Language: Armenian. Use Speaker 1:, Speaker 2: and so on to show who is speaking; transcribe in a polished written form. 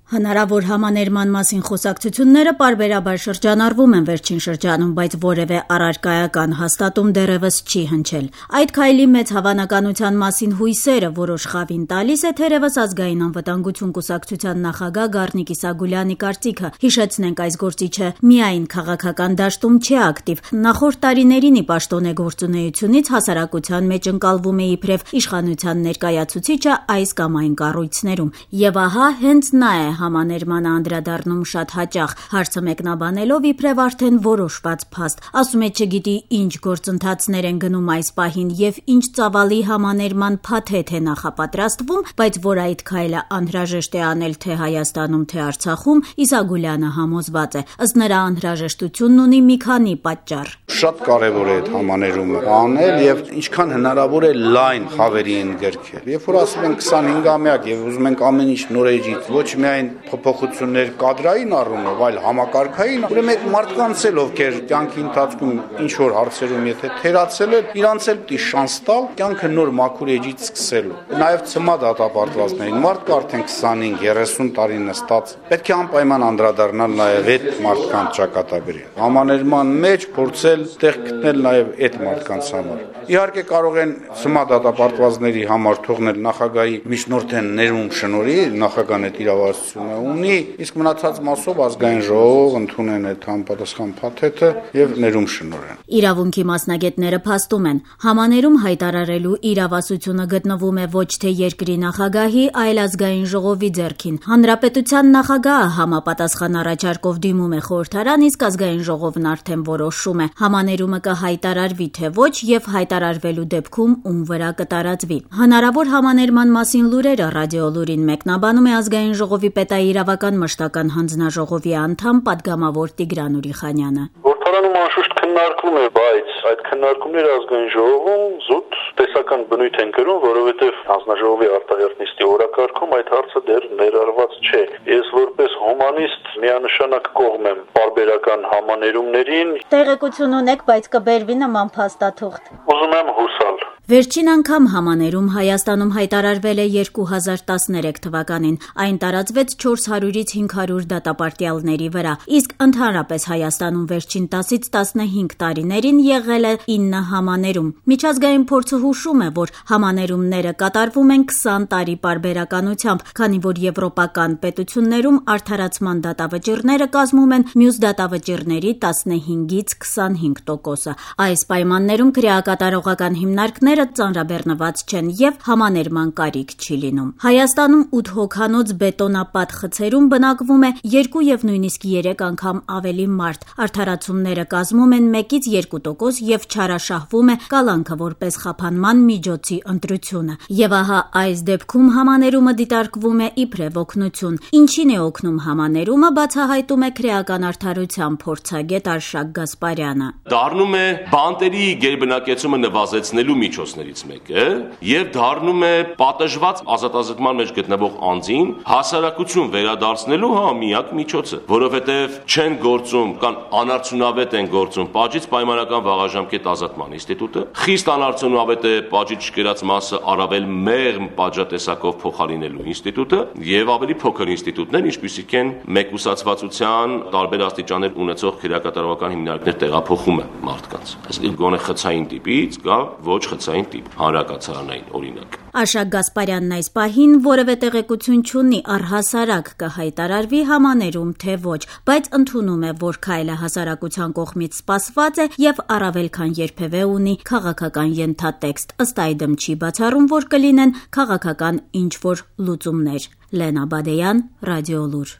Speaker 1: Հնարավոր համաներման մասին խոսակցությունները պարբերաբար շրջանառվում են վերջին շրջանում, բայց որևէ առարկայական հաստատում դեռևս չի հնչել։ Այդ քայլի մեծ հավանականության մասին հույսերը որոշ խավին տալիս է թերևս Ազգային անվտանգություն կուսակցության նախագահ Գառնիկ Իսագուլյանի կարծիքը։ Հիշեցնենք, այս գործիչը միայն քաղաքական դաշտում չի ակտիվ։ Նախորդ տարիներին ի պաշտոնե գործունեությունից հասարակության մեջ ընկալվում է իբրև իշխանության ներկայացուցիչը այս կամ այն կառույցներում։ Եվ ահա հենց նա է համաներմանը անդրադառնում շատ հաճախ, հարցը մեկնաբանելով իբրև արդեն որոշված փաստ։ Ասում է չգիտի ինչ գործընթացներ են գնում այս պահին եւ ինչ ծավալի համաներման փաթեթ է նախապատրաստվում, բայց որ այդ քայլը անհրաժեշտ է անել թե Հայաստանում, թե Արցախում, Իսագուլյանը համոզված է։ Ըստ նրա անհրաժեշտությունն ունի մի քանի պատճառ։
Speaker 2: Շատ կարևոր է այդ համաներումը անել եւ ինչքան հնարավոր է լայն խավերի ընդգրկել։ Երբ որ ասում են 25-ամյակ եւ ուզում ենք ամեն ինչ նորեջից, ոչ միայն փոփոխություններ կադրային առումով, այլ համակարգային, ուրեմն այդ մարդկանց էլ ովքեր կյանքի ընթացքում ինչ որ հարցերում եթե թերացել են, իրանց էլ պիտի շանս տալ կյանքը նոր մաքուր էջից սկսելու։ Նաեւ ծմա դատապարտվածներին մարդը արդեն 25-30 տարի նստած, պետք է անպայման անդրադառնալ նաեւ այդ մարդկանց ճակատագրին։ Համաներման մեջ փորձել տեղ գտնել նաեւ այդ մարդկանց համար։ Իհարկե կարող են ծմա դատապարտվածների համար թողնել նախագահի միջնորդեն ներում շնորհի, նախագահն այդ իրավասությունը ունի, իսկ մնացած մասով ազգային ժողով ընդունեն այդ համապատասխան փաթեթը եւ ներում շնորհեն։
Speaker 1: Իրավունքի մասնագետները փաստում են, համաներում հայտարարելու իրավասությունը գտնվում է ոչ թե երկրի նախագահի, այլ ազգային ժողովի ձեռքին։ Հանրապետության նախագահը համապատասխան առաջարկով դիմում է խորհրդարան, իսկ ազգային ժողովն արդեն որոշում է համաներումը կհայտարարվի թե ոչ եւ հայտարարվելու դեպքում ում վրա կտարածվի։ Հնարավոր համաներման մասին լուրերը ռադիոլուրին մեկնաբանում է ազգային ժողովի պետաիրավական մշտական հանձնաժողովի անդամ պատգամավոր Տիգրան Ուրիխանյանը։
Speaker 3: Խորհրդարանում անշուշտ քննարկվում է, բայց այդ քննարկումները ազգային ժողովում զուտ տեսական բնույթ են կրում, որովհետև հանձնաժողովի արտահերթ նիստի օրակարգում այդ հարցը դեռ ներառված չէ։ Ես որպես հումանիստ միանշանակ կողմ եմ պարբերական համաներումներին։
Speaker 1: Տեղեկություն ունեք, բայց կբերվի նման փաստաթուղթ։
Speaker 3: Ուզում եմ հուսալ։
Speaker 1: Վերջին անգամ համաներում Հայաստանում հայտարարվել է 2013 թվականին։ Այն տարածվեց 400-ից 500 դատապարտյալների վրա, իսկ ընդհանրապես Հայաստանում վերջին 10-ից 15 տարիներին եղել է 9 համաներում։ Միջազգային փորձը հուշում է, որ համաներումները կատարվում են 20 տարի պարբերականությամբ, քանի որ եվրոպական պետություններում արդարացման դատավճիռները կազմում են մյուս դատավճիռների 15-ից 25%-ը։ Այս պայմաններում քրեակատարողական հիմնարկները ծանրաբեռնված չեն եւ համաներման կարիք չի լինում։ Հայաստանում 8 հոգանոց բետոնապատ խցերում բնակվում է 2 եւ նույնիսկ 3 անգամ ավելի մարդ։ Արդարացումները կազմում են 1-ից 2% եւ չարաշահվում է կալանքը որպես խափանման միջոցի ընտրությունը։ Եվ ահա այս դեպքում համաներումը դիտարկվում է իբրև օգնություն։ Ինչին է օգնում համաներումը, բացահայտում է քրեական արդարության փորձագետ Արշակ Գասպարյանը։
Speaker 4: Դառնում է բանտերի գերբնակեցումը նվազեցնելու միջոցներից մեկը եւ դառնում է պատժված ազատազրկման մեջ գտնվող անձին հասարակություն վերադարձնելու միակ միջոցը, որովհետեւ չեն գործում կամ անարդյունավետ են գործում պատժից պայմանական վաղաժամկետ ազատման ինստիտուտը, խիստ անարդյունավետ է պատժից չկերած մասը առավել մեղմ պատժատեսակով փոխարինելու ինստիտուտը եւ ավելի փոքր ինստիտուտներ, ինչպիսիք են մեկուսացվածության տարբեր աստիճաններ ունեցող քրեակատարողական հիմնարկներ տեղափոխումը մարդկանց։ Այսինքն գոնե խցային տիպից կամ ոչ խցային տիպ, հանրակացարանային օրինակ։
Speaker 1: Արշակ Գասպարյանն այս պահին որևէ տեղեկություն չունի առհասարակ կհայտարարվի համաներում թե ոչ, բայց ընդունում է, որ քայլը հասարակության կողմից սպասված է եւ առավել քան երբևէ ունի քաղաքական ենթատեքստ։ Ըստ այդմ չի բացառում, որ կլինեն քաղաքական ինչ-որ լուծումներ։ Լենա Բադեյան, Ռադիոլուր։